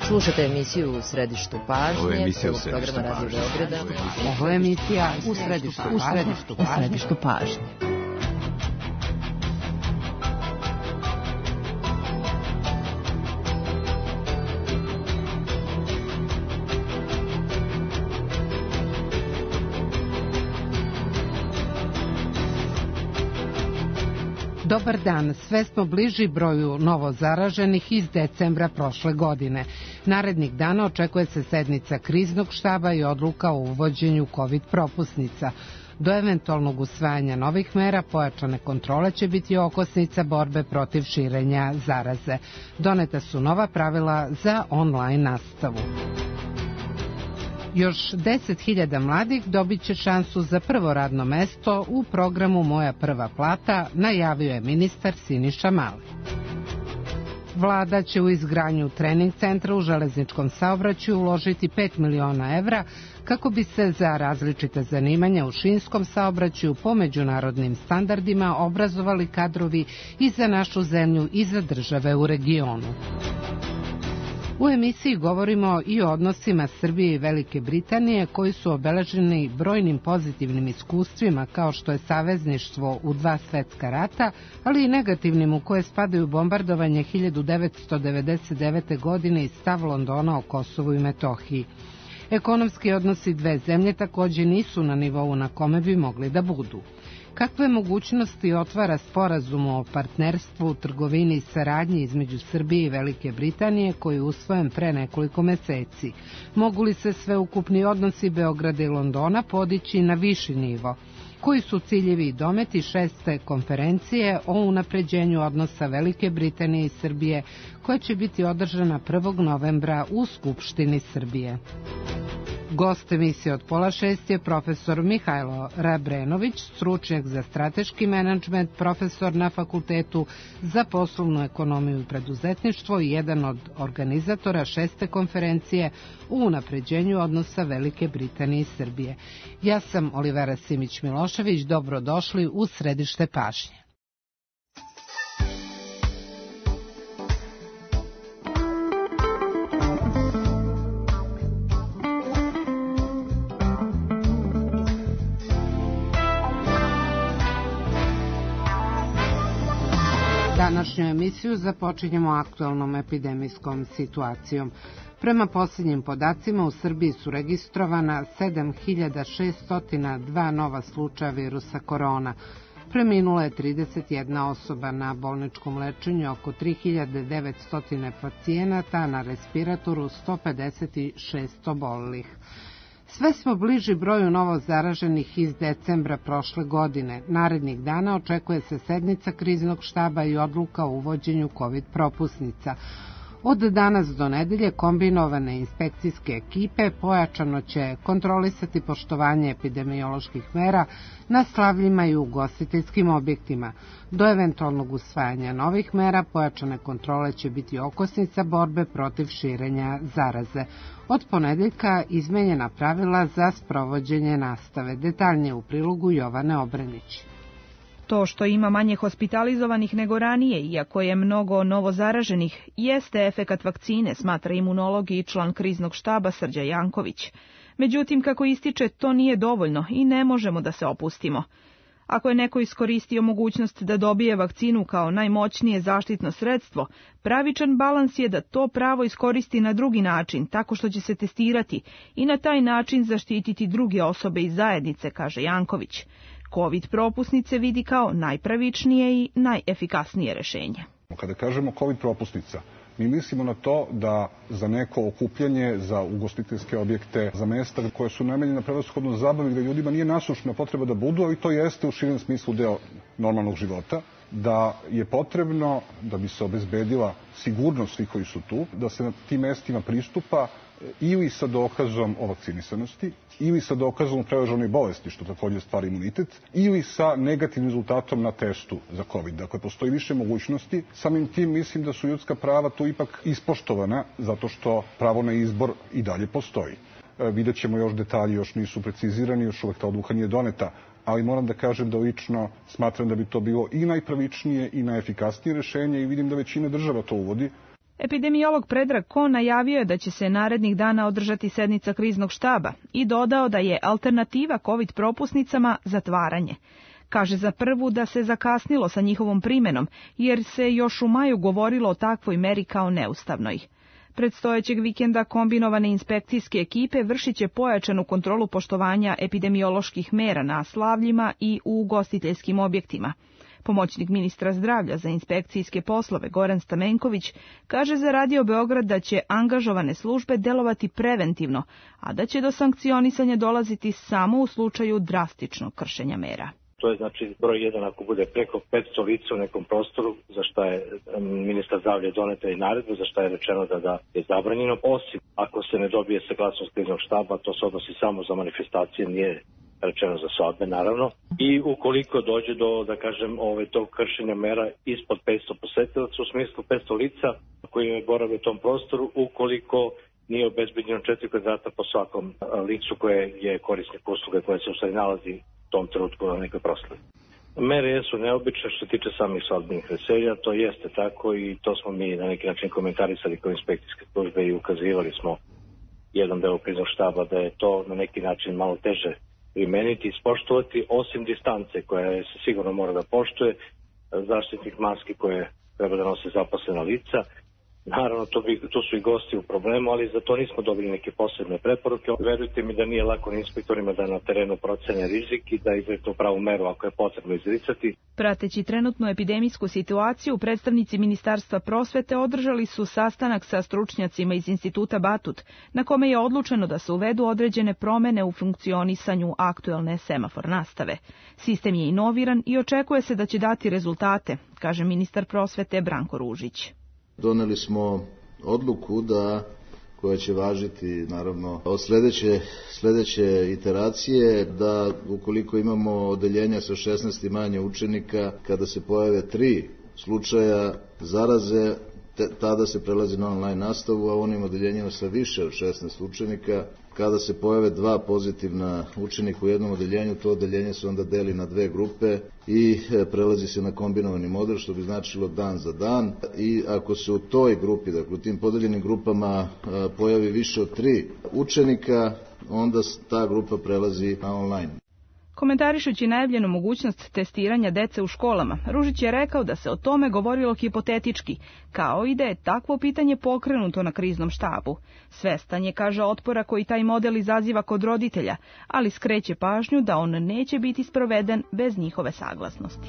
Slušate emisiju U središtu pažnje, ovog programa Radio Beograda. Ovo je emisija U središtu pažnje. Dobar dan, sve smo bliži broju novozaraženih iz decembra prošle godine. Narednih dana očekuje se sednica kriznog štaba i odluka o uvođenju COVID propusnica. Do eventualnog usvajanja novih mera pojačane kontrole će biti okosnica borbe protiv širenja zaraze. Doneta su nova pravila za online nastavu. Još 10.000 mladih dobit će šansu za prvo radno mesto u programu Moja prva plata, najavio je ministar Siniša Mali. Vlada će u izgradnju trening centra u železničkom saobraćaju uložiti 5 miliona evra kako bi se za različite zanimanja u šinskom saobraćaju po međunarodnim standardima obrazovali kadrovi i za našu zemlju i za države u regionu. U emisiji govorimo i o odnosima Srbije i Velike Britanije koji su obeleženi brojnim pozitivnim iskustvima kao što je savezništvo u 2 svetska rata, ali i negativnim u koje spadaju bombardovanje 1999. godine i stav Londona o Kosovu i Metohiji. Ekonomski odnosi dve zemlje također nisu na nivou na kome bi mogli da budu. Kakve mogućnosti otvara sporazum o partnerstvu, trgovini i saradnji između Srbije i Velike Britanije koji je usvojen pre nekoliko meseci? Mogu li se sveukupni odnosi Beograda i Londona podići na viši nivo? Koji su ciljevi i dometi 6. konferencije o unapređenju odnosa Velike Britanije i Srbije koja će biti održana 1. novembra u Skupštini Srbije? Gost emisije od 5:30 je profesor Mihajlo Rabrenović, stručnjak za strateški menadžment, profesor na Fakultetu za poslovnu ekonomiju i preduzetništvo i jedan od organizatora 6. konferencije o unapređenju odnosa Velike Britanije i Srbije. Ja sam Olivera Simić-Milošević, dobrodošli u središte pažnje. Današnju emisiju započinjemo aktualnom epidemijskom situacijom. Prema posljednjim podacima u Srbiji su registrovana 7.602 nova slučaja virusa korona. Preminula je 31 osoba na bolničkom lečenju, oko 3.900 pacijenata, na respiratoru 156 obolelih. Sve smo bliži broju novo zaraženih iz decembra prošle godine. Narednih dana očekuje se sednica kriznog štaba i odluka o uvođenju COVID propusnica. Od danas do nedelje kombinovane inspekcijske ekipe pojačano će kontrolisati poštovanje epidemioloških mera na slavljima i ugostiteljskim objektima. Do eventualnog usvajanja novih mera pojačane kontrole će biti okosnica borbe protiv širenja zaraze. Od ponedeljka izmenjena pravila za sprovođenje nastave. Detaljnije u prilogu Jovane Obrenić. To što ima manje hospitalizovanih nego ranije, iako je mnogo novozaraženih, jeste efekat vakcine, smatra imunolog i član kriznog štaba Srđan Janković. Međutim, kako ističe, to nije dovoljno i ne možemo da se opustimo. Ako je neko iskoristio mogućnost da dobije vakcinu kao najmoćnije zaštitno sredstvo, pravičan balans je da to pravo iskoristi na drugi način, tako što će se testirati i na taj način zaštititi druge osobe iz zajednice, kaže Janković. COVID propusnice vidi kao najpravičnije i najefikasnije rešenje. Kada kažemo COVID propusnica, mi mislimo na to da za neko okupljanje, za ugostiteljske objekte, za mesta koje su namenjene prevashodno zabavi, gde ljudima nije nasušna potreba da budu, ali to jeste u širem smislu deo normalnog života, da je potrebno da bi se obezbedila sigurnost svih koji su tu, da se na tim mestima pristupa ili sa dokazom o vakcinisanosti, ili sa dokazom o preležanoj bolesti, što također stvara imunitet, ili sa negativnim rezultatom na testu za COVID. Dakle, postoji više mogućnosti. Samim tim mislim da su ljudska prava tu ipak ispoštovana, zato što pravo na izbor i dalje postoji. Vidjet ćemo još detalji, još nisu precizirani, još uvek ta odluka nije doneta, ali moram da kažem da lično smatram da bi to bilo i najpravičnije i najefikasnije rešenje i vidim da većina država to uvodi. Epidemiolog Predrag Kon najavio je da će se narednih dana održati sednica kriznog štaba i dodao da je alternativa COVID propusnicama zatvaranje. Kaže za prvu da se zakasnilo sa njihovom primenom, jer se još u maju govorilo o takvoj meri kao neustavnoj. Predstojećeg vikenda kombinovane inspekcijske ekipe vršit će pojačanu kontrolu poštovanja epidemioloških mera na slavljima i u ugostiteljskim objektima. Pomoćnik ministra zdravlja za inspekcijske poslove Goran Stamenković kaže za Radio Beograd da će angažovane službe delovati preventivno, a da će do sankcionisanja dolaziti samo u slučaju drastičnog kršenja mera. To je znači broj 1 ako bude preko 500 lica u nekom prostoru, za šta je ministar zdravlja doneta i naredbu, za šta je rečeno da je zabranjeno, osim ako se ne dobije saglasnost kriznog štaba, to se odnosi samo za manifestacije, nije rečeno za svadbe, naravno. I ukoliko dođe do, da kažem, tog kršenja mera ispod 500 posetilaca, u smislu 500 lica koji borave u tom prostoru, ukoliko nije obezbeđeno 4 kvadrata po svakom licu koje je korisnik usluge koje se u stvari nalazi u tom trenutku na nekoj proslavi. Mere jesu neobične što se tiče samih svadbenih veselja, to jeste tako i to smo mi na neki način komentarisali kao inspekcijske službe i ukazivali smo jednom delu kriznog štaba da je to na neki način malo teže primeniti i ispoštovati, osim distance koja se sigurno mora da poštuje, zaštitnih maski koje treba da nose zaposlena lica. Naravno, tu su i gosti u problemu, ali za to nismo dobili neke posebne preporuke. Verujte mi da nije lako inspektorima da na terenu procene rizik i da izreknu pravu meru ako je potrebno izricati. Prateći trenutnu epidemijsku situaciju, predstavnici Ministarstva prosvete održali su sastanak sa stručnjacima iz Instituta Batut, na kome je odlučeno da se uvedu određene promene u funkcionisanju aktuelne semafor nastave. Sistem je inoviran i očekuje se da će dati rezultate, kaže ministar prosvete Branko Ružić. Doneli smo odluku koja će važiti naravno od sljedeće iteracije, da ukoliko imamo odeljenja sa 16 i manje učenika, kada se pojave 3 slučaja zaraze, tada se prelazi na online nastavu, a u onim odeljenjima sa više od 16 učenika, kada se pojave 2 pozitivna učenika u jednom odeljenju, to odeljenje se onda deli na 2 grupe i prelazi se na kombinovani model, što bi značilo dan za dan. I ako se u toj grupi, dakle u tim podeljenim grupama pojavi više od 3 učenika, onda ta grupa prelazi na online. Komentarišući najavljenu mogućnost testiranja dece u školama, Ružić je rekao da se o tome govorilo hipotetički, kao i da je takvo pitanje pokrenuto na kriznom štabu. Svestan je, kaže, otpora koji taj model izaziva kod roditelja, ali skreće pažnju da on neće biti sproveden bez njihove saglasnosti.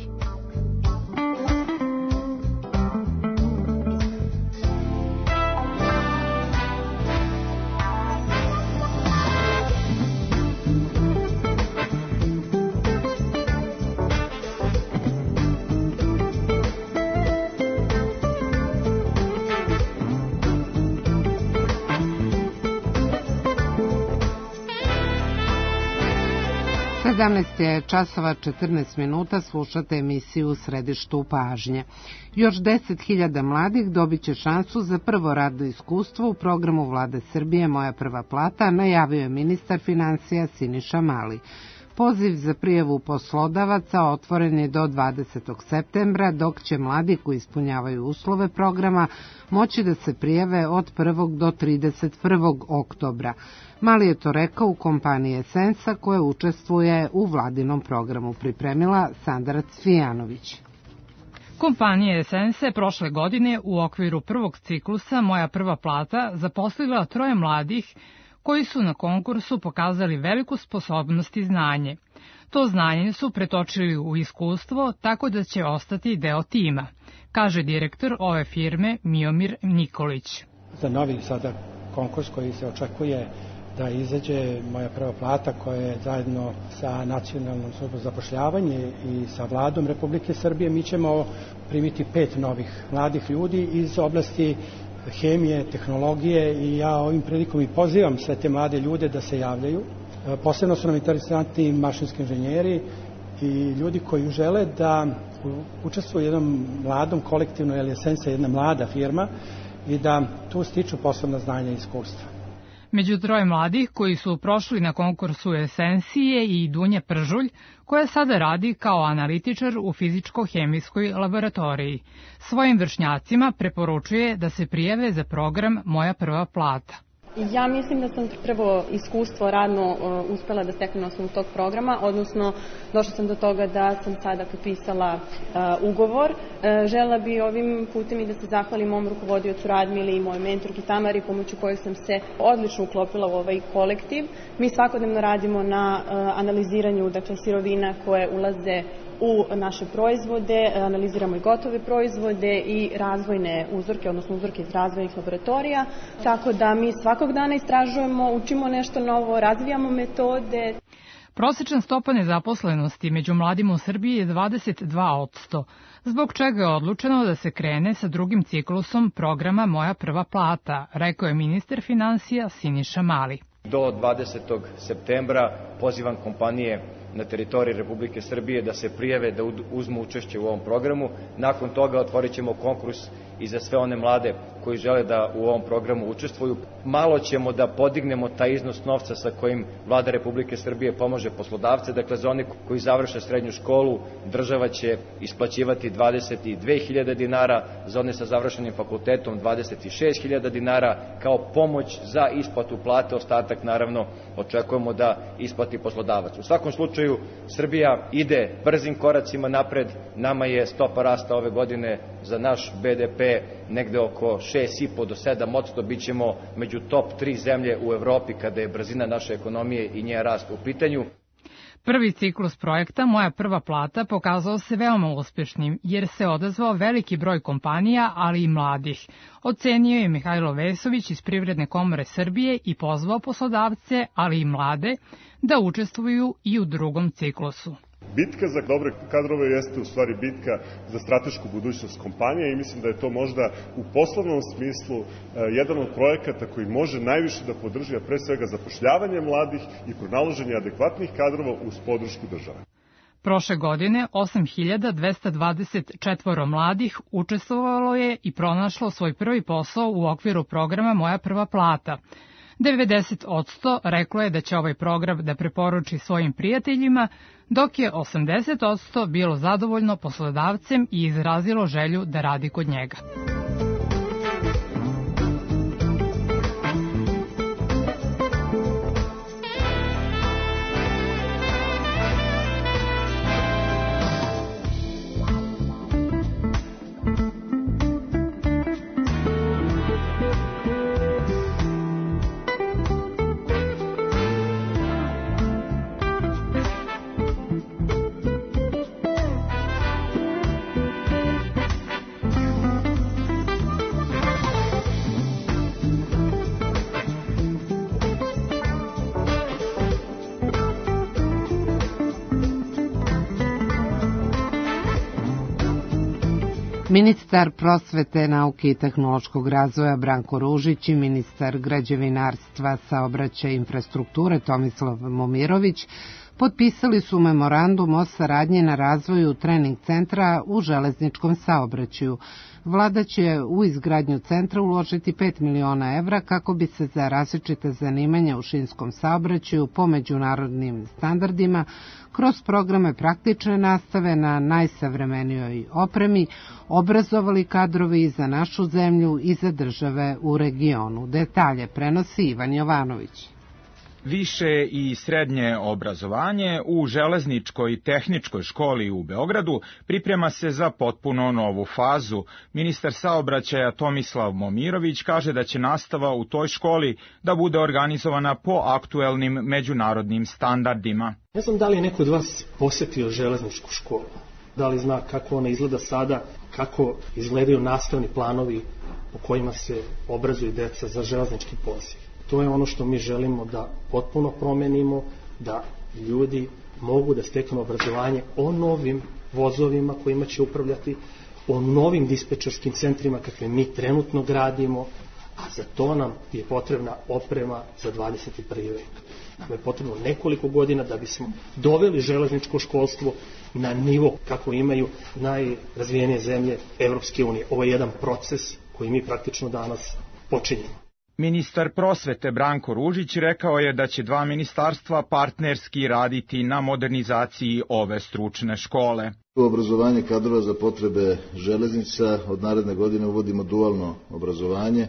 Je časova 14 minuta, slušate emisiju U središtu pažnje. Još 10.000 mladih dobit će šansu za prvo radno iskustvo u programu Vlade Srbije Moja prva plata, najavio je ministar financija Siniša Mali. Poziv za prijavu poslodavaca otvoren je do 20. septembra, dok će mladi koji ispunjavaju uslove programa moći da se prijave od 1. do 31. oktobra. Mali je to rekao u kompaniji Esensa koja učestvuje u vladinom programu, pripremila Sandra Cvijanović. Kompanija Esensa je prošle godine u okviru prvog ciklusa Moja prva plata zaposlila 3 mladih koji su na konkursu pokazali veliku sposobnost i znanje. To znanje su pretočili u iskustvo tako da će ostati deo tima, kaže direktor ove firme Miomir Nikolić. Za novi sada konkurs koji se očekuje da izađe Moja prva plata, koja je zajedno sa Nacionalnom službom za zapošljavanje i sa Vladom Republike Srbije, mi ćemo primiti 5 novih mladih ljudi iz oblasti hemije, tehnologije i ja ovim prilikom i pozivam sve te mlade ljude da se javljaju. Posebno su nam interesantni mašinski inženjeri i ljudi koji žele da učestvuju u jednom mladom kolektivnom, jer je Esensa jedna mlada firma i da tu stiču posebna znanja i iskustva. Među troje mladih koji su prošli na konkursu Esencije i Dunja Pržulj, koja sada radi kao analitičar u fizičko-hemijskoj laboratoriji. Svojim vršnjacima preporučuje da se prijave za program Moja prva plata. Ja mislim da sam prvo iskustvo radno uspela da steknem na osnovu tog programa, odnosno došla sam do toga da sam sada potpisala ugovor. Želela bi ovim putem i da se zahvalim mom rukovodiocu Radmili i mojoj mentorki Tamari, pomoću kojeg sam se odlično uklopila u ovaj kolektiv. Mi svakodnevno radimo na analiziranju sirovina koje ulaze u naše proizvode, analiziramo i gotove proizvode i razvojne uzorke, odnosno uzorke iz razvojnih laboratorija, tako da mi svakog dana istražujemo, učimo nešto novo, razvijamo metode. Prosečna stopa nezaposlenosti među mladima u Srbiji je 22%, zbog čega je odlučeno da se krene sa drugim ciklusom programa Moja prva plata, rekao je ministar finansija Siniša Mali. Do 20. septembra pozivam kompanije na teritoriji Republike Srbije da se prijave, da uzmu učešće u ovom programu. Nakon toga otvorit ćemo konkurs i za sve one mlade koji žele da u ovom programu učestvuju. Malo ćemo da podignemo taj iznos novca sa kojim Vlada Republike Srbije pomaže poslodavce. Dakle, za one koji završe srednju školu, država će isplaćivati 22.000 dinara, za one sa završenim fakultetom 26.000 dinara kao pomoć za isplatu plate. Ostatak, naravno, očekujemo da isplati poslodavac. U svakom slučaju, Srbija ide brzim koracima napred. Nama je stopa rasta ove godine za naš BDP negde oko 6,5 do 7%, bit ćemo među top 3 zemlje u Evropi kada je brzina naše ekonomije i njen rast u pitanju. Prvi ciklus projekta Moja prva plata pokazao se veoma uspešnim, jer se odazvao veliki broj kompanija, ali i mladih. Ocenio je Mihajlo Vesović iz Privredne komore Srbije i pozvao poslodavce, ali i mlade, da učestvuju i u drugom ciklusu. Bitka za dobre kadrove jeste u stvari bitka za stratešku budućnost kompanije i mislim da je to možda u poslovnom smislu jedan od projekata koji može najviše da podrži, a pre svega zapošljavanje mladih i pronalaženje adekvatnih kadrova uz podršku države. Prošle godine 8.224 mladih učestvovalo je i pronašlo svoj prvi posao u okviru programa Moja prva plata. 90% reklo je da će ovaj program da preporuči svojim prijateljima, dok je 80% bilo zadovoljno poslodavcem i izrazilo želju da radi kod njega. Ministar prosvete, nauke i tehnološkog razvoja Branko Ružić i ministar građevinarstva, saobraćaja i infrastrukture Tomislav Momirović potpisali su memorandum o saradnji na razvoju trening centra u železničkom saobraćaju. Vlada će u izgradnju centra uložiti 5 miliona evra kako bi se za različite zanimanja u šinskom saobraćaju po međunarodnim standardima kroz programe praktične nastave na najsavremenijoj opremi obrazovali kadrovi i za našu zemlju i za države u regionu. Detalje prenosi Ivan Jovanović. Više i srednje obrazovanje u Železničkoj tehničkoj školi u Beogradu priprema se za potpuno novu fazu. Ministar saobraćaja Tomislav Momirović kaže da će nastava u toj školi da bude organizovana po aktuelnim međunarodnim standardima. Ne znam da li je neko od vas posetio železničku školu, da li zna kako ona izgleda sada, kako izgledaju nastavni planovi po kojima se obrazuju deca za železnički poziv. To je ono što mi želimo da potpuno promenimo, da ljudi mogu da steknu obrazovanje o novim vozovima kojima će upravljati, o novim dispečerskim centrima kakve mi trenutno gradimo, a za to nam je potrebna oprema za 21. vek. Nam je potrebno nekoliko godina da bismo doveli železničko školstvo na nivo kako imaju najrazvijenije zemlje Evropske unije. Ovo je jedan proces koji mi praktično danas počinjemo. Ministar prosvete Branko Ružić rekao je da će dva ministarstva partnerski raditi na modernizaciji ove stručne škole. U obrazovanje kadrova za potrebe železnica od naredne godine uvodimo dualno obrazovanje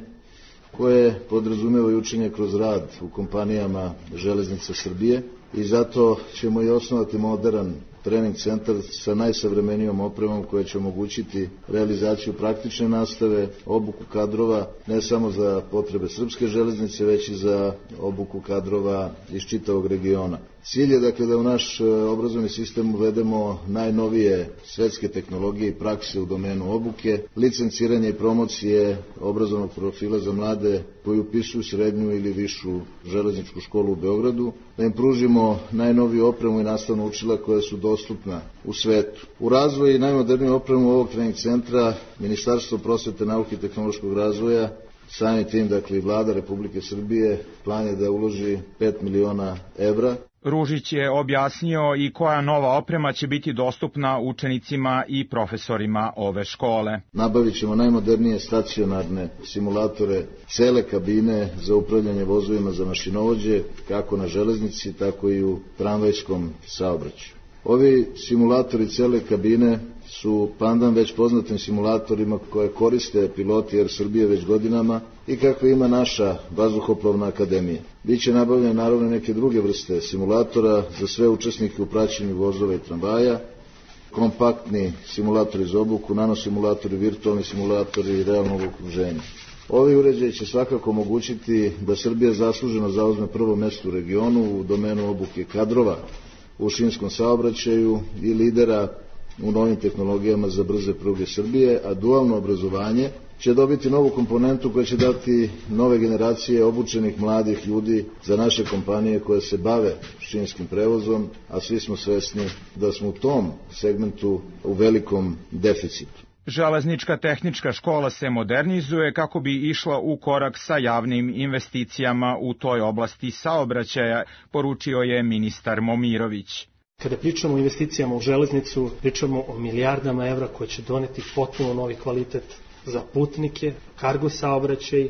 koje podrazumeva i učenje kroz rad u kompanijama Železnica Srbije i zato ćemo i osnovati moderan trening centar sa najsavremenijom opremom koja će omogućiti realizaciju praktične nastave, obuku kadrova ne samo za potrebe srpske železnice, već i za obuku kadrova iz čitavog regiona. Cilj je dakle da u naš obrazovni sistem uvedemo najnovije svetske tehnologije i prakse u domenu obuke, licenciranje i promocije obrazovnog profila za mlade koji upisuju srednju ili višu železničku školu u Beogradu, da im pružimo najnoviju opremu i nastavna učila koja su dostupna u svetu. U razvoju najmoderniju opremu ovog trening centra Ministarstvo prosvete, nauke i tehnološkog razvoja, samim tim, dakle i Vlada Republike Srbije, plan je da uloži 5 miliona evra. Ružić je objasnio i koja nova oprema će biti dostupna učenicima i profesorima ove škole. Nabavit ćemo najmodernije stacionarne simulatore, cele kabine za upravljanje vozovima za mašinovođe, kako na železnici, tako i u tramvajskom saobraćaju. Ovi simulatori cele kabine su pandan već poznatim simulatorima koje koriste piloti Air Srbije već godinama i kakve ima naša vazduhoplovna akademija. Biće nabavljene naravno neke druge vrste simulatora za sve učesnike u praćenju vozova i tramvaja, kompaktni simulatori za obuku, nanosimulatori, virtualni simulatori i realnog okruženja. Ovi uređaji će svakako omogućiti da Srbija zasluženo zauzme prvo mesto u regionu u domenu obuke kadrova u šinskom saobraćaju i lidera u novim tehnologijama za brze pruge Srbije, a dualno obrazovanje će dobiti novu komponentu koja će dati nove generacije obučenih mladih ljudi za naše kompanije koje se bave šinskim prevozom, a svi smo svesni da smo u tom segmentu u velikom deficitu. Železnička tehnička škola se modernizuje kako bi išla u korak sa javnim investicijama u toj oblasti saobraćaja, poručio je ministar Momirović. Kada pričamo o investicijama u železnicu, pričamo o milijardama evra koje će doneti potpuno novi kvalitet za putnike, kargo saobraćaj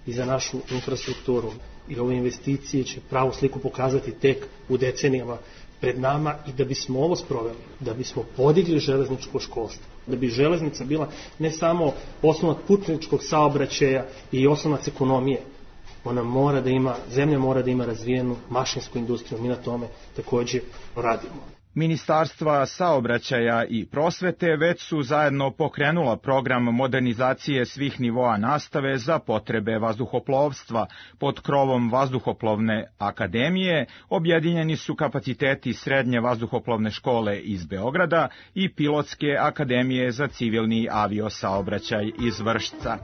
i za našu infrastrukturu. I ove investicije će pravu sliku pokazati tek u decenijama pred nama i da bismo ovo sproveli, da bismo podigli železničko školstvo, da bi železnica bila ne samo osnovac putničkog saobraćaja i osnovac ekonomije, ona mora da ima, zemlja mora da ima razvijenu mašinsku industriju, mi na tome takođe radimo. Ministarstva saobraćaja i prosvete već su zajedno pokrenula program modernizacije svih nivoa nastave za potrebe vazduhoplovstva. Pod krovom Vazduhoplovne akademije objedinjeni su kapaciteti Srednje vazduhoplovne škole iz Beograda i Pilotske akademije za civilni aviosaobraćaj iz Vršca.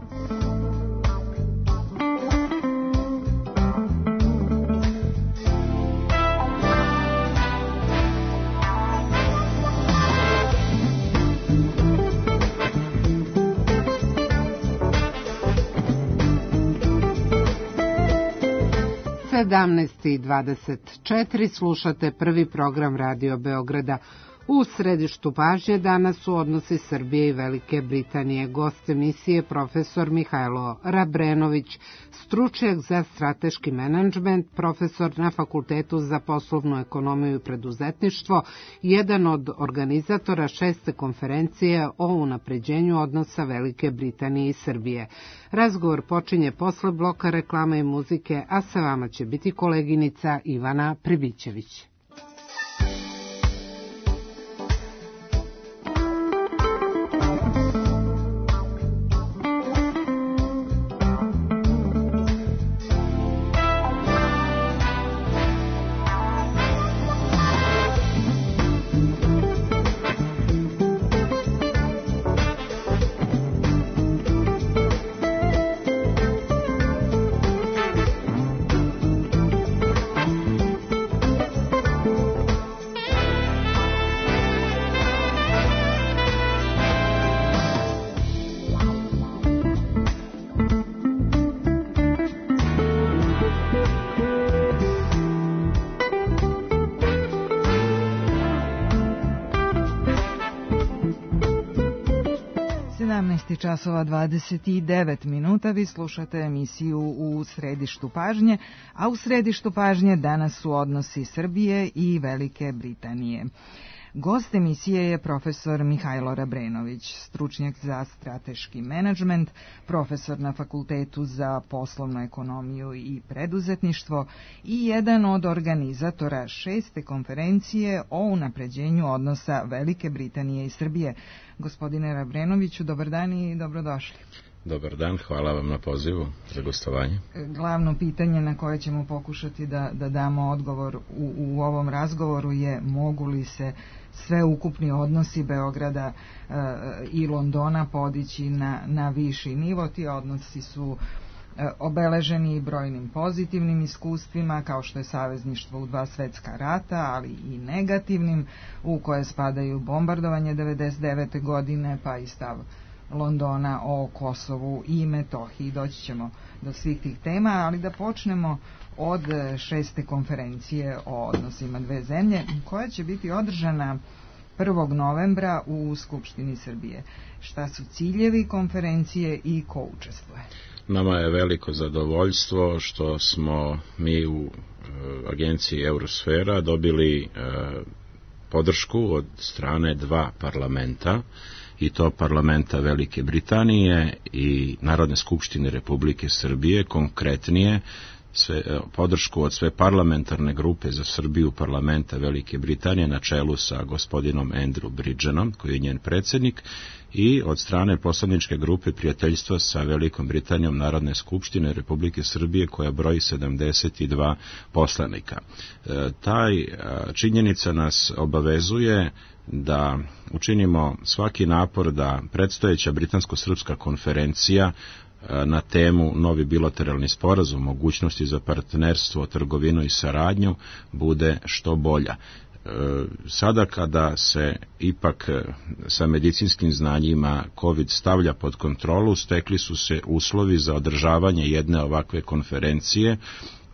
U 17:24 slušate prvi program Radio Beograda. U središtu pažnje danas su odnosi Srbije i Velike Britanije. Gost emisije profesor Mihajlo Rabrenović, stručnjak za strateški menadžment, profesor na Fakultetu za poslovnu ekonomiju i preduzetništvo, jedan od organizatora 6. konferencije o unapređenju odnosa Velike Britanije i Srbije. Razgovor počinje posle bloka reklama i muzike, a sa vama će biti koleginica Ivana Pribićević. časova 29 minuta. Vi slušate emisiju U središtu pažnje, a u središtu pažnje danas su odnosi Srbije i Velike Britanije. Gost emisije je profesor Mihajlo Rabrenović, stručnjak za strateški menadžment, profesor na Fakultetu za poslovnu ekonomiju i preduzetništvo i jedan od organizatora 6. konferencije o unapređenju odnosa Velike Britanije i Srbije. Gospodine Rabrenoviću, dobar dan i dobrodošli. Dobar dan, hvala vam na pozivu za gostovanje. Glavno pitanje na koje ćemo pokušati da damo odgovor u ovom razgovoru je mogu li se sve ukupni odnosi Beograda i Londona podići na viši nivo. Ti odnosi su obeleženi brojnim pozitivnim iskustvima, kao što je savezništvo u 2 svetska rata, ali i negativnim, u koje spadaju bombardovanje 99. godine, pa i stav Londona o Kosovu i Metohiji. Doći ćemo do svih tih tema, ali da počnemo od 6. konferencije o odnosima dve zemlje, koja će biti održana 1. novembra u Skupštini Srbije. Šta su ciljevi konferencije i ko učestvuje? Nama je veliko zadovoljstvo što smo mi u agenciji Eurosfera dobili podršku od strane 2 parlamenta, i to parlamenta Velike Britanije i Narodne skupštine Republike Srbije, konkretnije podršku od sve parlamentarne grupe za Srbiju parlamenta Velike Britanije na čelu sa gospodinom Andrew Bridgenom, koji je njen predsjednik, i od strane poslaničke grupe prijateljstva sa Velikom Britanijom Narodne skupštine Republike Srbije, koja broji 72 poslanika. Taj činjenica nas obavezuje da učinimo svaki napor da predstojeća britansko-srpska konferencija na temu novi bilateralni sporazum, mogućnosti za partnerstvo, trgovinu i saradnju bude što bolja. Sada kada se ipak sa medicinskim znanjima COVID stavlja pod kontrolu, stekli su se uslovi za održavanje jedne ovakve konferencije,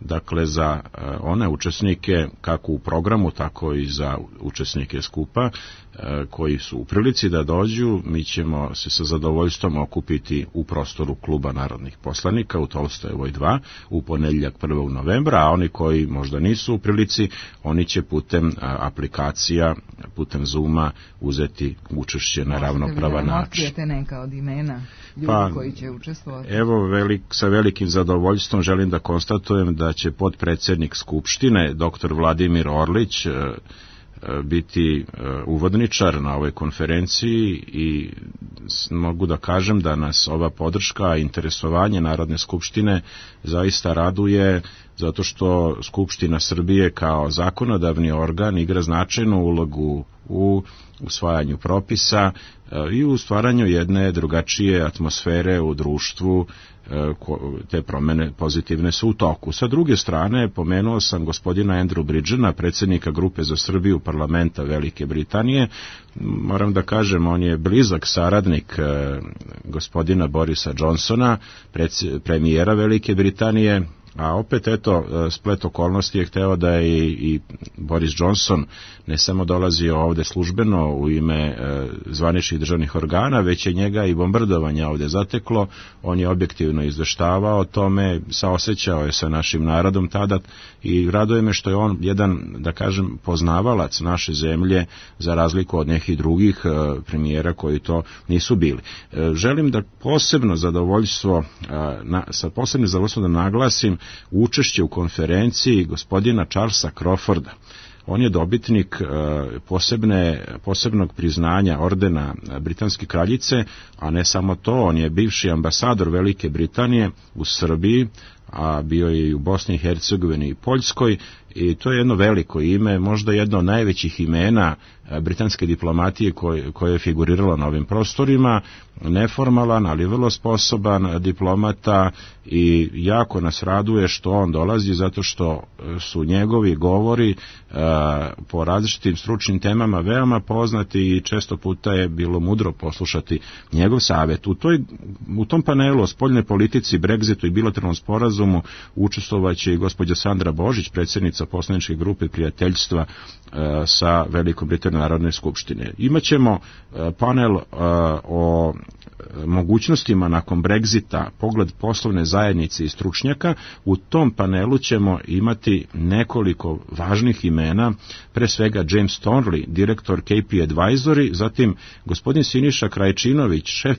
dakle za one učesnike kako u programu, tako i za učesnike skupa koji su u prilici da dođu. Mi ćemo se sa zadovoljstvom okupiti u prostoru Kluba narodnih poslanika u Tolstojevoj 2 u ponedjeljak 1. novembra, a oni koji možda nisu u prilici, oni će putem aplikacija, putem Zooma uzeti učešće na ravnopravan način. Otkrijete neka od imena ljudi koji će učestvovati? Evo, sa velikim zadovoljstvom želim da konstatujem da će potpredsjednik Skupštine, dr. Vladimir Orlić, biti uvodničar na ovoj konferenciji i mogu da kažem da nas ova podrška i interesovanje Narodne skupštine zaista raduje, zato što Skupština Srbije kao zakonodavni organ igra značajnu ulogu u usvajanju propisa i u stvaranju jedne drugačije atmosfere u društvu. Te promene pozitivne su u toku. Sa druge strane, pomenuo sam gospodina Andrew Bridgena, predsjednika grupe za Srbiju parlamenta Velike Britanije. Moram da kažem, on je blizak saradnik gospodina Borisa Johnsona, premijera Velike Britanije, a opet eto, splet okolnosti je hteo da je i Boris Johnson ne samo dolazio ovde službeno u ime zvaničnih državnih organa, već je njega i bombardovanje ovde zateklo. On je objektivno izveštavao o tome, saosećao je sa našim narodom tada i raduje me što je on jedan, da kažem, poznavalac naše zemlje, za razliku od nekih drugih premijera koji to nisu bili. Želim da posebno zadovoljstvo, sa posebnim zadovoljstvom da naglasim učešće u konferenciji gospodina Charlesa Crawforda. On je dobitnik posebnog priznanja ordena Britanske kraljice, a ne samo to, on je bivši ambasador Velike Britanije u Srbiji, a bio je i u Bosni i Hercegovini i Poljskoj, i to je jedno veliko ime, možda jedno od najvećih imena britanske diplomatije koje je figuriralo na ovim prostorima, neformalan, ali vrlo sposoban diplomata, i jako nas raduje što on dolazi, zato što su njegovi govori po različitim stručnim temama veoma poznati i često puta je bilo mudro poslušati njegov savjet. U tom panelu o spoljnoj politici, Brexitu i bilateralnom sporazumu učestvovaće i gospođa Sandra Božić, predsjednica predsjednica poslaničke grupe prijateljstva sa Velikom Britanijom Narodne skupštine. Imaćemo panel o mogućnostima nakon Brexita, pogled poslovne zajednice i stručnjaka. U tom panelu ćemo imati nekoliko važnih imena, pre svega James Thornley, direktor KP Advisory, zatim gospodin Siniša Krajčinović, šef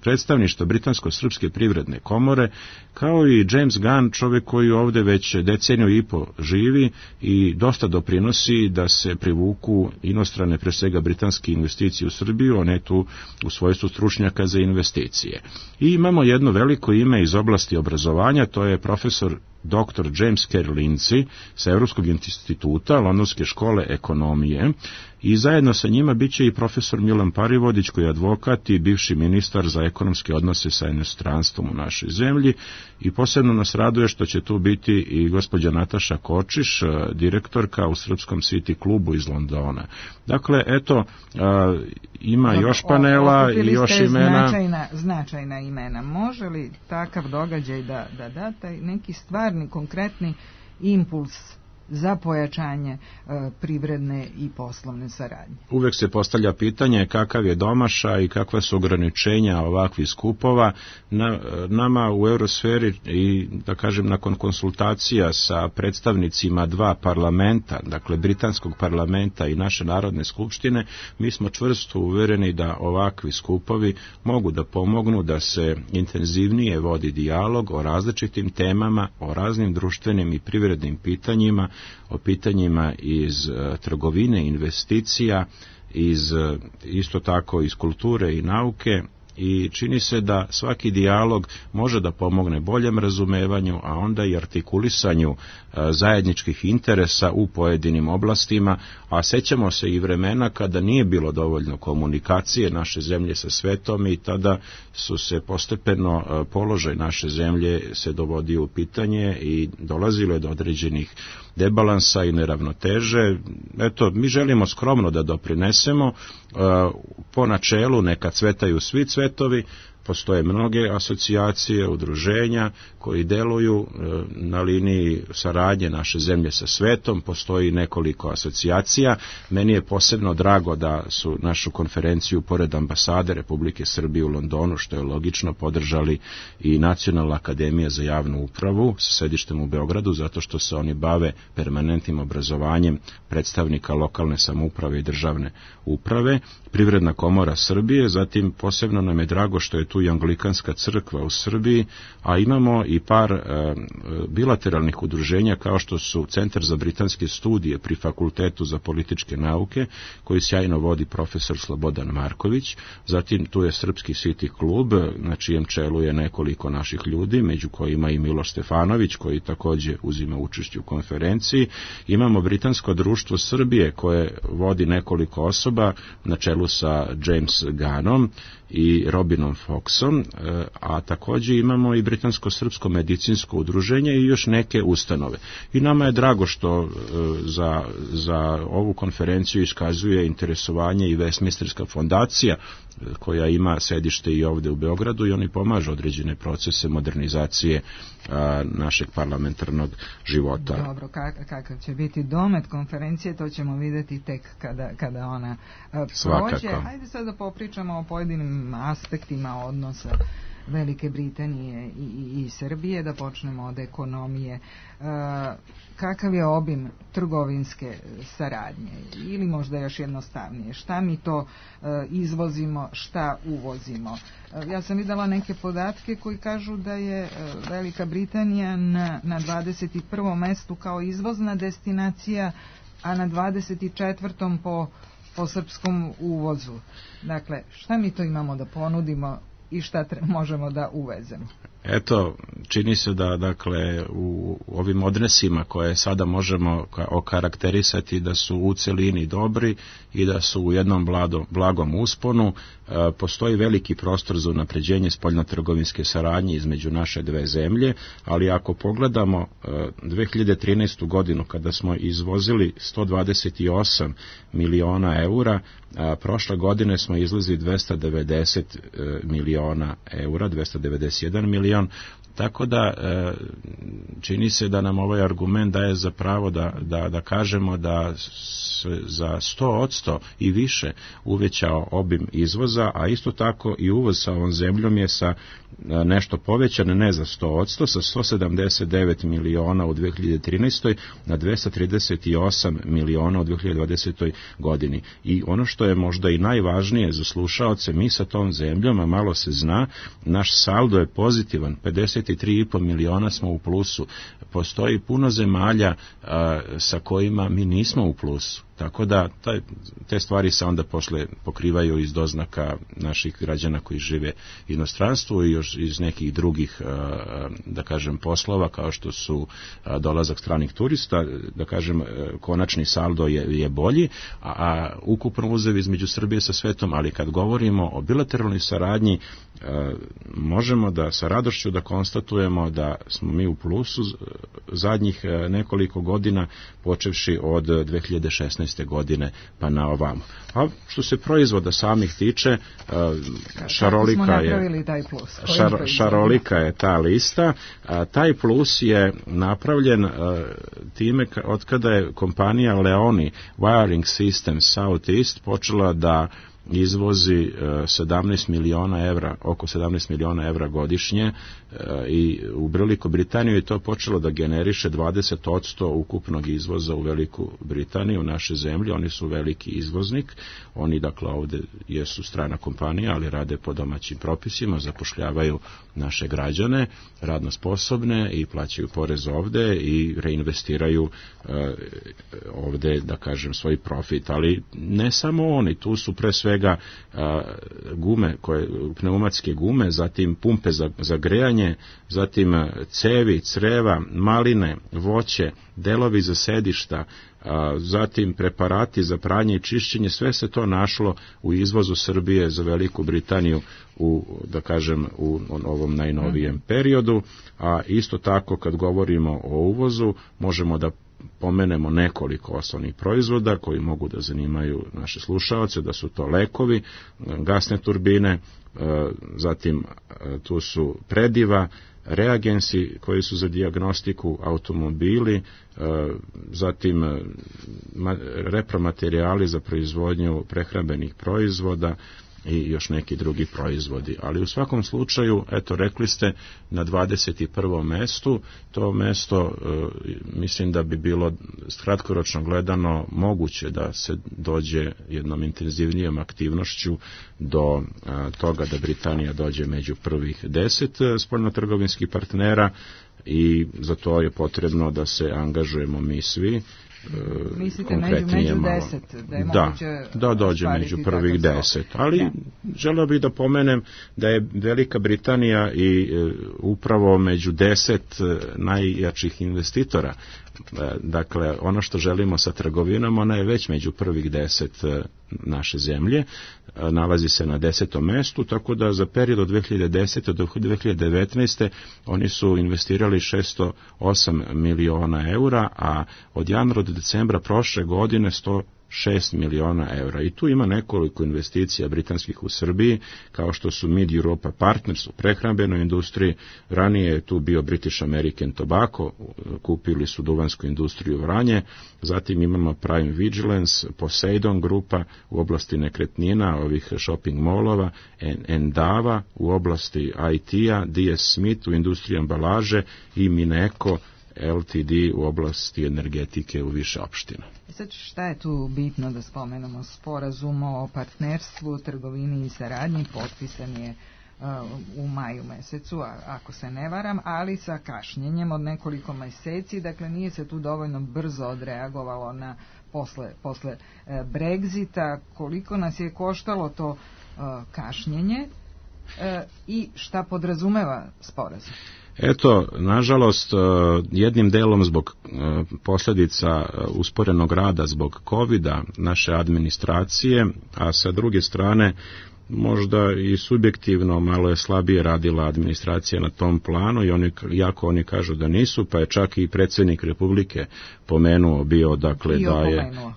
predstavništva Britansko-srpske privredne komore, kao i James Gunn, čovjek koji ovde već deceniju i po živi i dosta doprinosi da se privuku inostrane, pre svega britanske investicije u Srbiju, a ne tu u svojstvu stručnjaka za investicije. I imamo jedno veliko ime iz oblasti obrazovanja, to je profesor dr. James Kerr Lindsay sa Europskog instituta Londonske škole ekonomije i zajedno sa njima biće i profesor Milan Parivodić koji je advokat i bivši ministar za ekonomske odnose sa inostranstvom u našoj zemlji i posebno nas raduje što će tu biti i gospođa Nataša Kočiš, direktorka u Srpskom City klubu iz Londona. Dakle, eto, ima još panela i još imena. Značajna imena. Može li takav događaj da da taj neki stvarni, konkretni impuls za pojačanje privredne i poslovne saradnje? Uvek se postavlja pitanje kakav je domašaj i kakva su ograničenja ovakvih skupova. Nama u Eurosferi i da kažem nakon konsultacija sa predstavnicima dva parlamenta, dakle Britanskog parlamenta i naše Narodne skupštine, mi smo čvrsto uvereni da ovakvi skupovi mogu da pomognu da se intenzivnije vodi dijalog o različitim temama, o raznim društvenim i privrednim pitanjima, o pitanjima iz trgovine, investicija, isto tako iz kulture i nauke i čini se da svaki dijalog može da pomogne boljem razumevanju, a onda i artikulisanju zajedničkih interesa u pojedinim oblastima, a sećamo se i vremena kada nije bilo dovoljno komunikacije naše zemlje sa svetom i tada su se postepeno položaj naše zemlje se dovodio u pitanje i dolazilo je do određenih debalansa i neravnoteže. Eto, mi želimo skromno da doprinesemo po načelu neka cvetaju svi cvetovi. Postoje mnoge asocijacije, udruženja koji deluju na liniji saradnje naše zemlje sa svetom, postoji nekoliko asocijacija. Meni je posebno drago da su našu konferenciju pored ambasade Republike Srbije u Londonu, što je logično, podržali i Nacionalna akademija za javnu upravu sa sedištem u Beogradu, zato što se oni bave permanentnim obrazovanjem predstavnika lokalne samouprave i državne uprave, Privredna komora Srbije, zatim posebno nam je drago što je tu i Anglikanska crkva u Srbiji, a imamo i par bilateralnih udruženja kao što su Centar za britanske studije pri Fakultetu za političke nauke, koji sjajno vodi profesor Slobodan Marković, zatim tu je Srpski City klub, na čijem čelu je nekoliko naših ljudi, među kojima i Miloš Stefanović, koji takođe uzima učešće u konferenciji. Imamo Britansko društvo Srbije, koje vodi nekoliko osoba, na čelu sa James Gunnom i Robinom Foxom, a takođe imamo i Britansko-srpsko medicinsko udruženje i još neke ustanove. I nama je drago što za ovu konferenciju iskazuje interesovanje i Westminsterska fondacija, koja ima sedište i ovde u Beogradu i oni pomažu određene procese modernizacije našeg parlamentarnog života. Dobro, kakav će biti domet konferencije, to ćemo vidjeti tek kada ona prođe. Svakako. Hajde sad da popričamo o pojedinim aspektima odnosa Velike Britanije i Srbije, da počnemo od ekonomije. Kakav je obim trgovinske saradnje ili možda još jednostavnije? Šta mi to izvozimo, šta uvozimo? Ja sam videla neke podatke koji kažu da je Velika Britanija na 21. mestu kao izvozna destinacija, a na 24. po srpskom uvozu. Dakle, šta mi to imamo da ponudimo i šta možemo da uvezemo? Eto, čini se da dakle u ovim odnosima koje sada možemo okarakterisati da su u celini dobri i da su u jednom blagom usponu, postoji veliki prostor za unapređenje spoljnotrgovinske saradnje između naše dve zemlje, ali ako pogledamo 2013. godinu kada smo izvozili 128 miliona eura, prošle godine smo izvezli 290 miliona eura, 291 milion, Tako da čini se da nam ovaj argument daje za pravo da kažemo da za 100% i više uvećao obim izvoza, a isto tako i uvoz sa ovom zemljom je sa nešto povećan, ne za 100%, sa 179 miliona u 2013. na 238 miliona u 2020. godini. I ono što je možda i najvažnije za slušaoce, mi sa tom zemljom, a malo se zna, naš saldo je pozitivan, 53,5 miliona smo u plusu. Postoji puno zemalja sa kojima mi nismo u plusu. Tako da te stvari se onda posle pokrivaju iz doznaka naših građana koji žive u inostranstvu i još iz nekih drugih, da kažem, poslova kao što su dolazak stranih turista, da kažem, konačni saldo je bolji, a ukupno uzev između Srbije sa svetom, ali kad govorimo o bilateralnoj saradnji, možemo da sa radošću da konstatujemo da smo mi u plusu zadnjih nekoliko godina, počevši od 2016. godine pa na ovamo. A što se proizvoda samih tiče, šarolika je ta lista. Taj plus je napravljen time od kada je kompanija Leoni Wiring Systems Southeast počela da izvozi 17 miliona evra, oko 17 miliona evra godišnje i u Veliku Britaniju je to počelo da generiše 20% ukupnog izvoza u Veliku Britaniju, u naše zemlje. Oni su veliki izvoznik, oni dakle ovde jesu strana kompanija, ali rade po domaćim propisima, zapošljavaju naše građane, radno sposobne i plaćaju porez ovde i reinvestiraju ovde, da kažem, svoj profit. Ali ne samo oni, tu su pre svega gume, pneumatske gume, zatim pumpe za grejanje, zatim cevi, creva, maline, voće, delovi za sedišta, zatim preparati za pranje i čišćenje, sve se to našlo u izvozu Srbije za Veliku Britaniju da kažem, u ovom najnovijem periodu, a isto tako kad govorimo o uvozu, možemo da pomenemo nekoliko osnovnih proizvoda koji mogu da zanimaju naše slušaoce, da su to lekovi, gasne turbine, zatim tu su prediva, reagensi koji su za dijagnostiku, automobili, zatim repromaterijali za proizvodnju prehrambenih proizvoda i još neki drugi proizvodi. Ali u svakom slučaju, eto, rekli ste na 21. mestu, to mesto mislim da bi bilo kratkoročno gledano moguće da se dođe jednom intenzivnijom aktivnošću do toga da Britanija dođe među prvih 10 spoljnotrgovinskih partnera i za to je potrebno da se angažujemo mi svi. Mislite među 10, da je moguće da dođe među prvih 10, ali želeo bih da pomenem da je Velika Britanija i upravo među 10 najjačih investitora. Dakle, ono što želimo sa trgovinom, ona je već među prvih 10 naše zemlje, nalazi se na 10. mestu, tako da za period od 2010. do 2019. oni su investirali 608 miliona eura, a od januara do decembra prošle godine 106 miliona eura. I tu ima nekoliko investicija britanskih u Srbiji, kao što su Mid Europa Partners u prehrambenoj industriji, ranije je tu bio British American Tobacco, kupili su duvansku industriju Vranje, zatim imamo Prime Vigilance, Poseidon grupa u oblasti nekretnina, ovih shopping molova, Endava u oblasti IT-a, DS Smith u industriji ambalaže i Mineko LTD u oblasti energetike u više opština. Sad, šta je tu bitno da spomenemo? Sporazum o partnerstvu, trgovini i saradnji potpisan je u maju mesecu, ako se ne varam, ali sa kašnjenjem od nekoliko meseci, dakle nije se tu dovoljno brzo odreagovalo na posle Brexita. Koliko nas je koštalo to kašnjenje i šta podrazumeva sporazum? Eto, nažalost, jednim delom zbog posljedica usporenog rada zbog COVID-a naše administracije, a sa druge strane možda i subjektivno malo je slabije radila administracija na tom planu i iako oni kažu da nisu, pa je čak i predsjednik Republike pomenuo bio, dakle,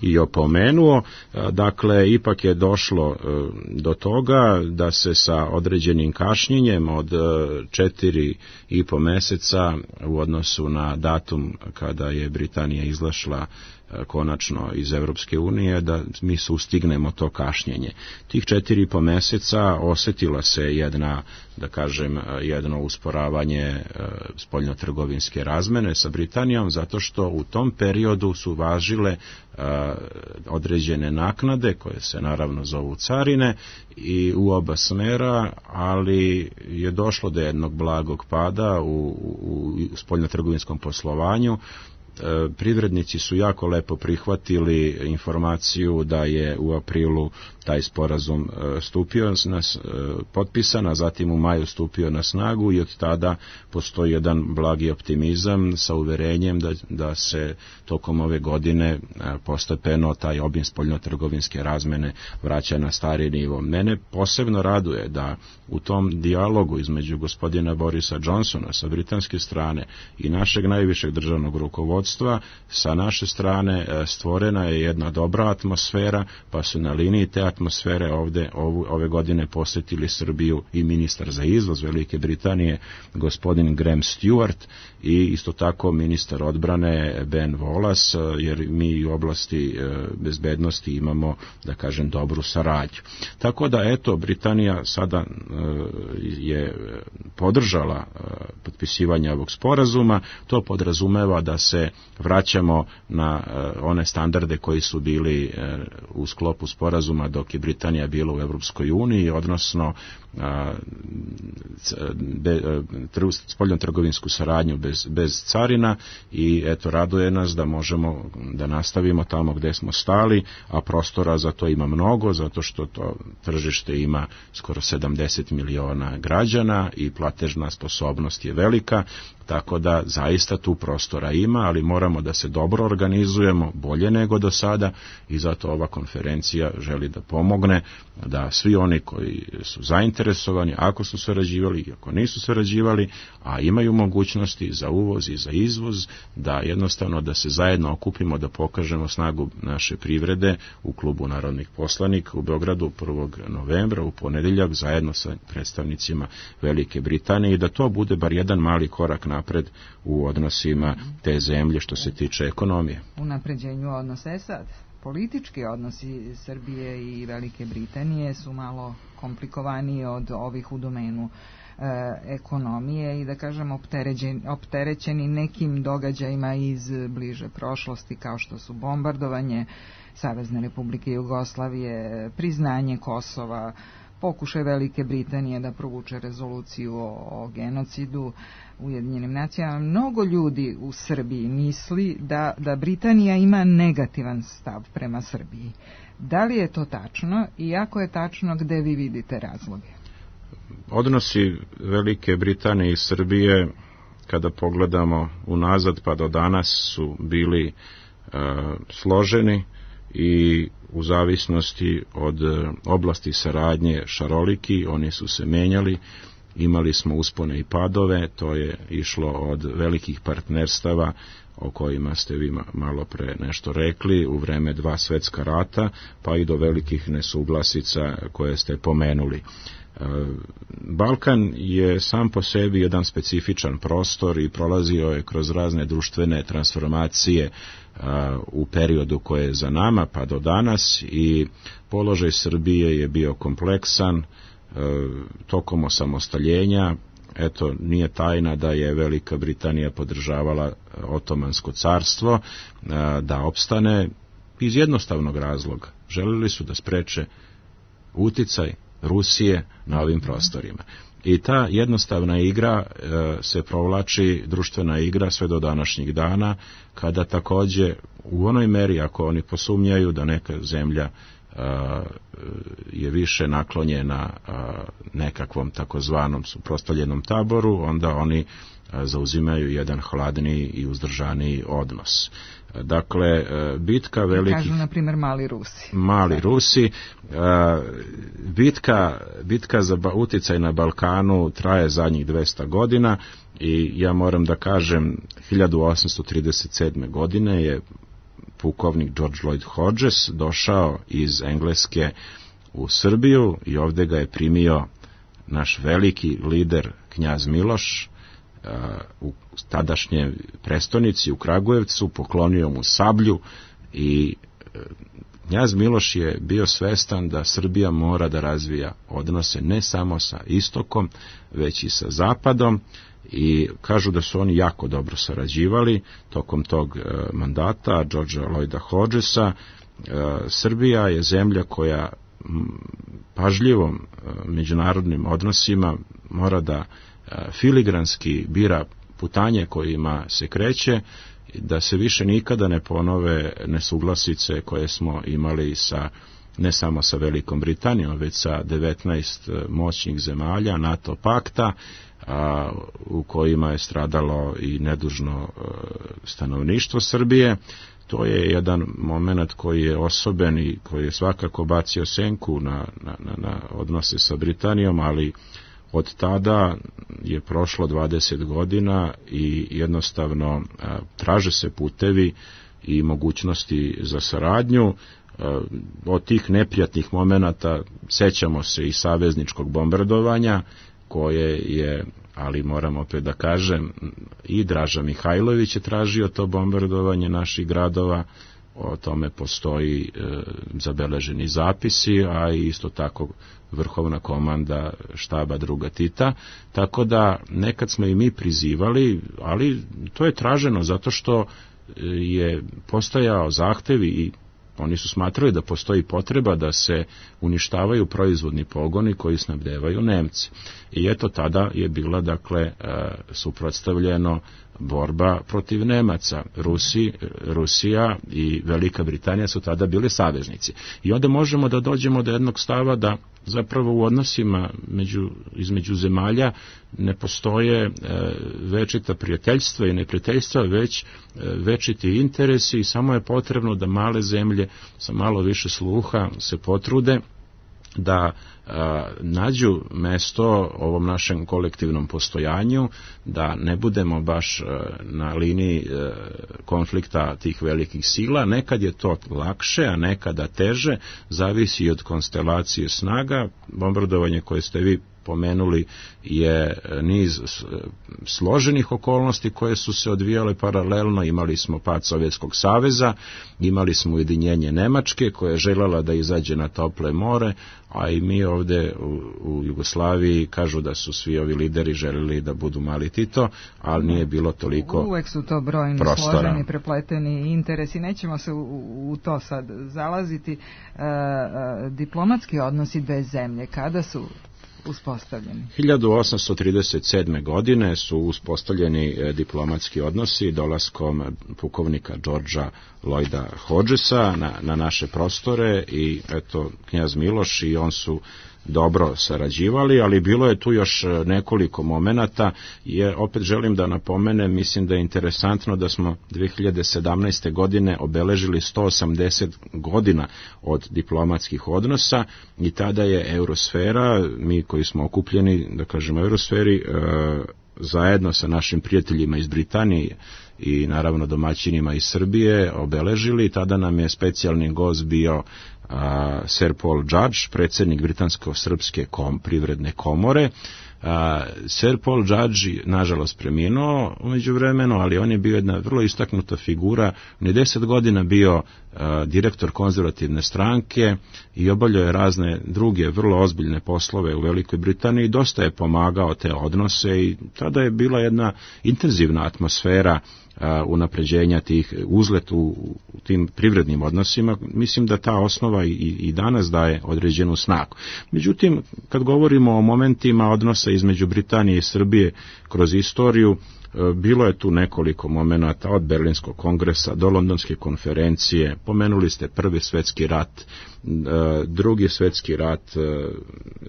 i opomenuo. Dakle, ipak je došlo do toga da se sa određenim kašnjenjem od 4,5 mjeseca u odnosu na datum kada je Britanija izašla konačno iz Europske unije, da mi sustignemo to kašnjenje. Tih 4,5 mjeseca osjetila se jedno usporavanje spoljnotrgovinske razmene sa Britanijom, zato što u tom periodu su važile određene naknade, koje se naravno zovu carine, i u oba smjera, ali je došlo do jednog blagog pada u spoljnotrgovinskom poslovanju. Privrednici su jako lepo prihvatili informaciju da je u aprilu taj sporazum potpisan, a zatim u maju stupio na snagu i od tada postoji jedan blagi optimizam sa uverenjem da se tokom ove godine postepeno taj obim spoljnotrgovinske razmene vraća na stari nivo. Mene posebno raduje da u tom dijalogu između gospodina Borisa Johnsona sa britanske strane i našeg najvišeg državnog rukovodstva, sa naše strane stvorena je jedna dobra atmosfera, pa su na liniji te atmosfere ove godine posjetili Srbiju i ministar za izvoz Velike Britanije gospodin Graham Stewart i isto tako ministar odbrane Ben Wallace, jer mi u oblasti bezbednosti imamo, da kažem, dobru saradnju. Tako da, eto, Britanija sada je podržala potpisivanje ovog sporazuma. To podrazumeva da se vraćamo na one standarde koji su bili u sklopu sporazuma dok je Britanija bila u Europskoj uniji, odnosno spoljnotrgovinsku saradnju bez carina, i eto, raduje nas da možemo da nastavimo tamo gdje smo stali, a prostora za to ima mnogo, zato što to tržište ima skoro 70 miliona građana i platežna sposobnost je velika, tako da zaista tu prostora ima, ali moramo da se dobro organizujemo, bolje nego do sada, i zato ova konferencija želi da pomogne da svi oni koji su zainteresovani, ako su sarađivali i ako nisu sarađivali, a imaju mogućnosti za uvoz i za izvoz, da jednostavno da se zajedno okupimo, da pokažemo snagu naše privrede u Klubu narodnih poslanika u Beogradu 1. novembra u ponedjeljak zajedno sa predstavnicima Velike Britanije, i da to bude bar jedan mali korak napred u odnosima te zemlje što se tiče ekonomije. U napređenju odnosa sad. Politički odnosi Srbije i Velike Britanije su malo komplikovaniji od ovih u domenu ekonomije i, da kažem, opterećeni nekim događajima iz bliže prošlosti, kao što su bombardovanje Savezne Republike Jugoslavije, priznanje Kosova, pokušaj Velike Britanije da provuče rezoluciju o genocidu Ujedinjenim nacijama. Mnogo ljudi u Srbiji misli da Britanija ima negativan stav prema Srbiji. Da li je to tačno, i ako je tačno, gde vi vidite razloge? Odnosi Velike Britanije i Srbije, kada pogledamo unazad pa do danas, su bili složeni i u zavisnosti od oblasti saradnje šaroliki, oni su se menjali, imali smo uspone i padove, to je išlo od velikih partnerstava o kojima ste vi malo pre nešto rekli, u vreme 2 svjetska rata, pa i do velikih nesuglasica koje ste pomenuli. Balkan je sam po sebi jedan specifičan prostor i prolazio je kroz razne društvene transformacije u periodu koje je za nama pa do danas, i položaj Srbije je bio kompleksan tokom osamostaljenja. Eto, nije tajna da je Velika Britanija podržavala Otomansko carstvo da opstane iz jednostavnog razloga. Želeli su da spreče uticaj Rusije na ovim prostorima. I ta jednostavna igra se provlači, društvena igra, sve do današnjih dana, kada također u onoj meri, ako oni posumnjaju da neka zemlja je više naklonjena nekakvom takozvanom suprotstavljenom taboru, onda oni zauzimaju jedan hladniji i uzdržaniji odnos. Dakle, bitka velikih... Kažu, na primjer, mali Rusi. Mali Rusi. Bitka za uticaj na Balkanu traje zadnjih 200 godina i ja moram da kažem, 1837. godine je pukovnik George Lloyd Hodges došao iz Engleske u Srbiju i ovdje ga je primio naš veliki lider knjaz Miloš u tadašnje prestonici u Kragujevcu, poklonio mu sablju i knjaz Miloš je bio svestan da Srbija mora da razvija odnose ne samo sa istokom, već i sa zapadom i kažu da su oni jako dobro sarađivali tokom tog mandata Georgea Lloyda Hodgesa. Srbija je zemlja koja pažljivom međunarodnim odnosima mora da filigranski bira putanje kojima se kreće, da se više nikada ne ponove nesuglasice koje smo imali ne samo sa Velikom Britanijom, već sa 19 moćnih zemalja NATO pakta, u kojima je stradalo i nedužno stanovništvo Srbije. To je jedan moment koji je osoben i koji je svakako bacio senku na odnose sa Britanijom, ali od tada je prošlo 20 godina i jednostavno traže se putevi i mogućnosti za saradnju. Od tih neprijatnih momenata sećamo se i savezničkog bombardovanja koje je, ali moram opet da kažem, i Draža Mihajlović je tražio to bombardovanje naših gradova, o tome postoji zabeleženi zapisi, a isto tako vrhovna komanda štaba druga Tita, tako da nekad smo i mi prizivali, ali to je traženo zato što je postojao zahtev i oni su smatrali da postoji potreba da se uništavaju proizvodni pogoni koji snabdevaju Nemci. I eto tada je bila, dakle, suprotstavljeno borba protiv Nemaca. Rusija i Velika Britanija su tada bili saveznici. I onda možemo da dođemo do jednog stava da zapravo u odnosima između zemalja ne postoje večita prijateljstva i neprijateljstva, već večiti interesi i samo je potrebno da male zemlje sa malo više sluha se potrude da nađu mesto ovom našem kolektivnom postojanju, da ne budemo baš na liniji konflikta tih velikih sila. Nekad je to lakše, a nekada teže, zavisi od konstelacije snaga. Bombardovanje koje ste vi pomenuli je niz složenih okolnosti koje su se odvijale paralelno. Imali smo pad Sovjetskog saveza, imali smo ujedinjenje Nemačke koja je željela da izađe na tople more, a i mi ovdje u Jugoslaviji kažu da su svi ovi lideri željeli da budu mali Tito, ali nije bilo toliko prostora. Uvek su to brojni, složeni, prepleteni interesi. Nećemo se u to sad zalaziti. Diplomatski odnosi dve zemlje, kada su uspostavljeni? 1837. godine su uspostavljeni diplomatski odnosi dolaskom pukovnika Georgea Lloyda Hodgesa na naše prostore i eto knjaz Miloš i on su dobro sarađivali, ali bilo je tu još nekoliko momenata, jer opet želim da napomenem, mislim da je interesantno da smo 2017. godine obeležili 180 godina od diplomatskih odnosa i tada je Eurosfera, mi koji smo okupljeni, da kažemo Eurosferi, zajedno sa našim prijateljima iz Britanije i naravno domaćinima iz Srbije obeležili. Tada nam je specijalni gost bio Sir Paul Judge, predsjednik Britansko-srpske privredne komore. Sir Paul Judge nažalost preminuo u međuvremenu, ali on je bio jedna vrlo istaknuta figura. On je 10 godina bio direktor konzervativne stranke i obavljao je razne druge vrlo ozbiljne poslove u Velikoj Britaniji. Dosta je pomagao te odnose i tada je bila jedna intenzivna atmosfera unapređenja tih uzlet u tim privrednim odnosima. Mislim da ta osnova i danas daje određenu snagu. Međutim, kad govorimo o momentima odnosa između Britanije i Srbije kroz istoriju, bilo je tu nekoliko momenata od Berlinskog kongresa do Londonske konferencije, pomenuli ste Prvi svjetski rat Drugi svjetski rat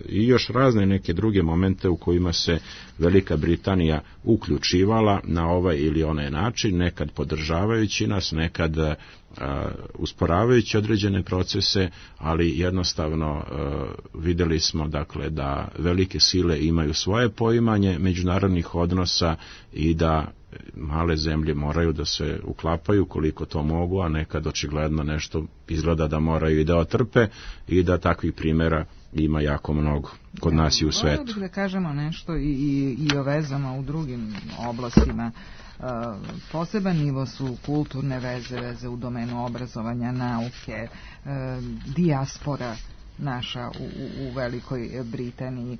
i još razne neke druge momente u kojima se Velika Britanija uključivala na ovaj ili onaj način, nekad podržavajući nas, nekad usporavajući određene procese, ali jednostavno vidjeli smo dakle da velike sile imaju svoje poimanje međunarodnih odnosa i da male zemlje moraju da se uklapaju koliko to mogu, a nekad očigledno nešto izgleda da moraju i da otrpe i da takvih primjera ima jako mnogo kod nas i u svetu. Bih da kažemo nešto i o vezama u drugim oblastima. Poseban nivo su kulturne veze u domenu obrazovanja, nauke, dijaspora naša u Velikoj Britaniji.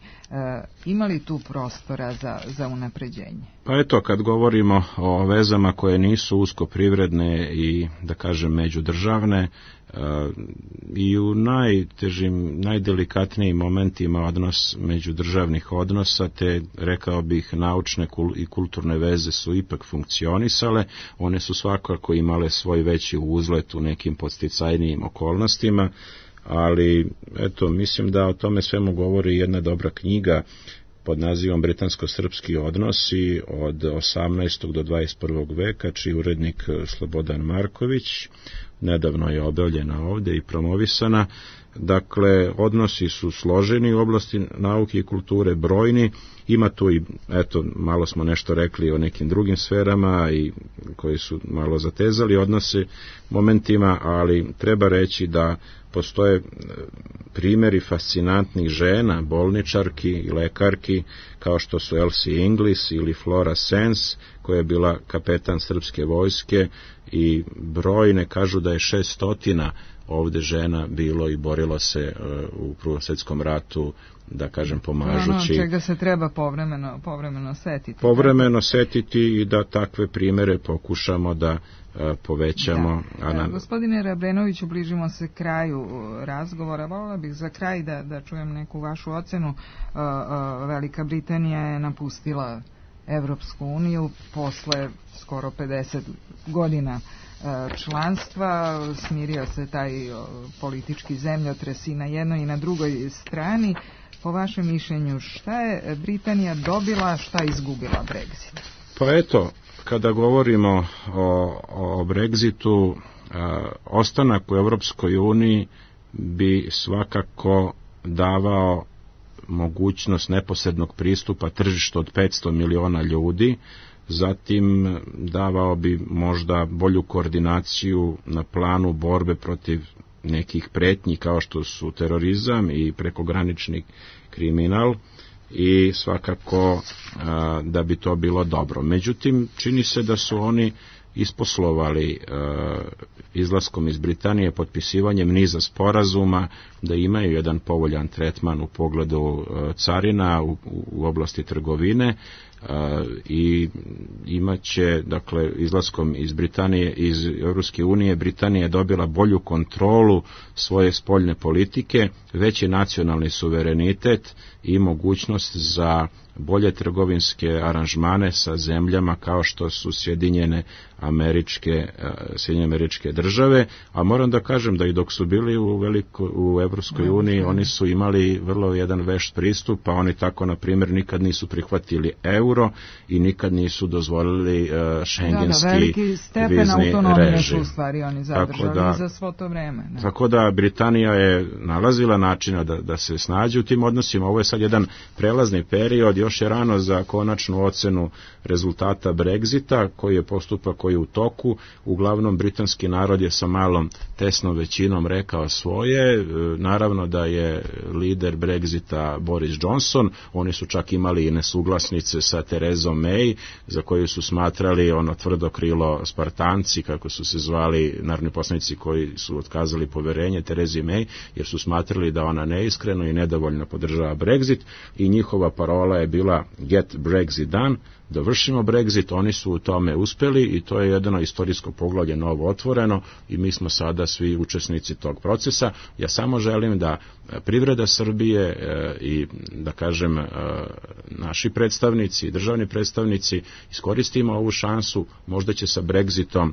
Ima li tu prostora za unapređenje? Pa eto, kad govorimo o vezama koje nisu usko privredne i, da kažem, međudržavne, i u najtežim, najdelikatnijim momentima odnos međudržavnih odnosa, te rekao bih naučne i kulturne veze su ipak funkcionisale, one su svakako imale svoj veći uzlet u nekim podsticajnijim okolnostima, ali eto, mislim da o tome svemu govori jedna dobra knjiga pod nazivom Britansko-srpski odnosi od 18. do 21. veka, čiji urednik Slobodan Marković, nedavno je objavljena ovdje i promovisana. Dakle, odnosi su složeni u oblasti nauke i kulture, brojni, ima tu i, eto, malo smo nešto rekli o nekim drugim sferama i koji su malo zatezali odnose momentima, ali treba reći da postoje primjeri fascinantnih žena, bolničarki i lekarki, kao što su Elsie Inglis ili Flora Sens, koja je bila kapetan srpske vojske, i brojne kažu da je 600 ovdje žena bilo i borilo se u Prvom svjetskom ratu, da kažem, pomažući. Čega se treba povremeno setiti. Povremeno setiti i da takve primjere pokušamo da povećamo. Gospodine Rabrenoviću, bližimo se kraju razgovora. Volila bih za kraj da čujem neku vašu ocenu. Velika Britanija je napustila Evropsku uniju posle skoro 50 godina članstva, smirio se taj politički zemljotres i na jednoj i na drugoj strani. Po vašem mišljenju, šta je Britanija dobila, šta je izgubila Brexit? Pa eto, kada govorimo o Brexitu, ostanak u Evropskoj uniji bi svakako davao mogućnost neposrednog pristupa tržištu od 500 miliona ljudi, zatim davao bi možda bolju koordinaciju na planu borbe protiv nekih pretnji kao što su terorizam i prekogranični kriminal, i svakako da bi to bilo dobro. Međutim, čini se da su oni isposlovali izlaskom iz Britanije, potpisivanjem niza sporazuma, da imaju jedan povoljan tretman u pogledu carina u oblasti trgovine, i imaće, dakle, izlaskom iz Britanije, iz Europske unije, Britanija je dobila bolju kontrolu svoje spoljne politike, veći nacionalni suverenitet i mogućnost za bolje trgovinske aranžmane sa zemljama kao što su Sjedinjene Američke Države, a moram da kažem da i dok su bili u Evropskoj uniji, oni su imali vrlo jedan vešt pristup, pa oni tako, na primjer, nikad nisu prihvatili euro i nikad nisu dozvolili šengenski veliki stepen autonomije su u stvari oni zadržali za svo to vreme. Ne? Tako da Britanija je nalazila načina da se snađe u tim odnosima. Ovo je sad jedan prelazni period, još je rano za konačnu ocenu rezultata Brexita, koji je postupak koji je u toku. Uglavnom, britanski narod je sa malom tesnom većinom rekao svoje. Naravno da je lider Brexita Boris Johnson, oni su čak imali i nesuglasnice sa Terezom May, za koju su smatrali ono tvrdo krilo Spartanci, kako su se zvali narodni poslanici koji su otkazali poverenje Terezi May, jer su smatrali da ona neiskreno i nedovoljno podržava Brexit, i njihova parola je bila bila Get Brexit Done, dovršimo Brexit, oni su u tome uspeli i to je jedno istorijsko poglavlje novo otvoreno i mi smo sada svi učesnici tog procesa. Ja samo želim da privreda Srbije i da kažem naši predstavnici, državni predstavnici iskoristimo ovu šansu, možda će sa Brexitom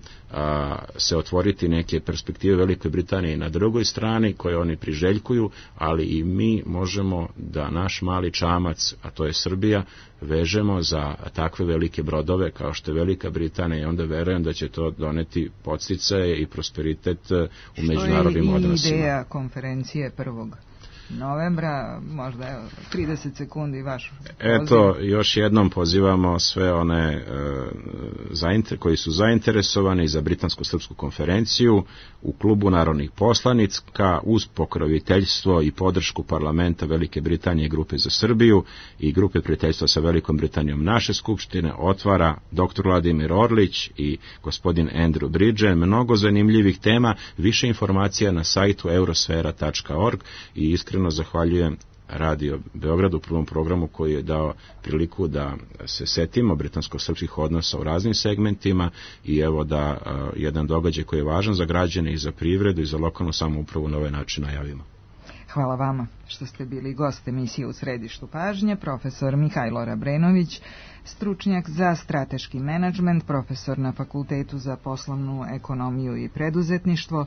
se otvoriti neke perspektive Velike Britanije na drugoj strani koje oni priželjkuju, ali i mi možemo da naš mali čamac, a to je Srbija, vežemo za takve velike brodove kao što je Velika Britanija i onda verujem da će to doneti podsticaje i prosperitet u međunarodnim odnosima. Što je i ideja konferencije 1. novembra, možda 30 sekundi vaš poziv. Eto, još jednom pozivamo sve one koji su zainteresovani za Britansko-srpsku konferenciju u klubu narodnih poslanika uz pokroviteljstvo i podršku parlamenta Velike Britanije i Grupe za Srbiju i Grupe prijateljstva sa Velikom Britanijom naše skupštine otvara dr. Vladimir Orlić i gospodin Andrew Bridgen. Mnogo zanimljivih tema, više informacija na sajtu eurosfera.org i iskreno zahvaljujem Radio Beogradu u prvom programu koji je dao priliku da se setimo britansko-srpskih odnosa u raznim segmentima i evo da jedan događaj koji je važan za građane i za privredu i za lokalnu samoupravu na ovaj način najavimo. Hvala vama što ste bili gost emisije U središtu pažnje, profesor Mihajlo Rabrenović, stručnjak za strateški menadžment, profesor na Fakultetu za poslovnu ekonomiju i preduzetništvo,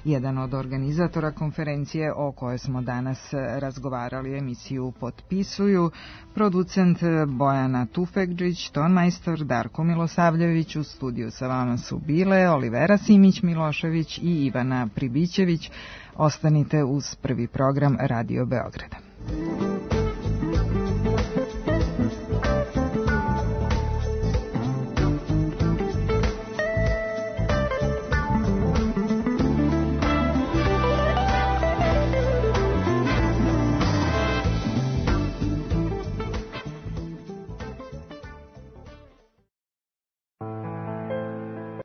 jedan od organizatora konferencije o kojoj smo danas razgovarali. Emisiju potpisuju producent Bojana Tufekđić, tonmajstor Darko Milosavljević, u studiju sa vama su bile Olivera Simić-Milošević i Ivana Pribićević. Ostanite uz prvi program Radio Beograda.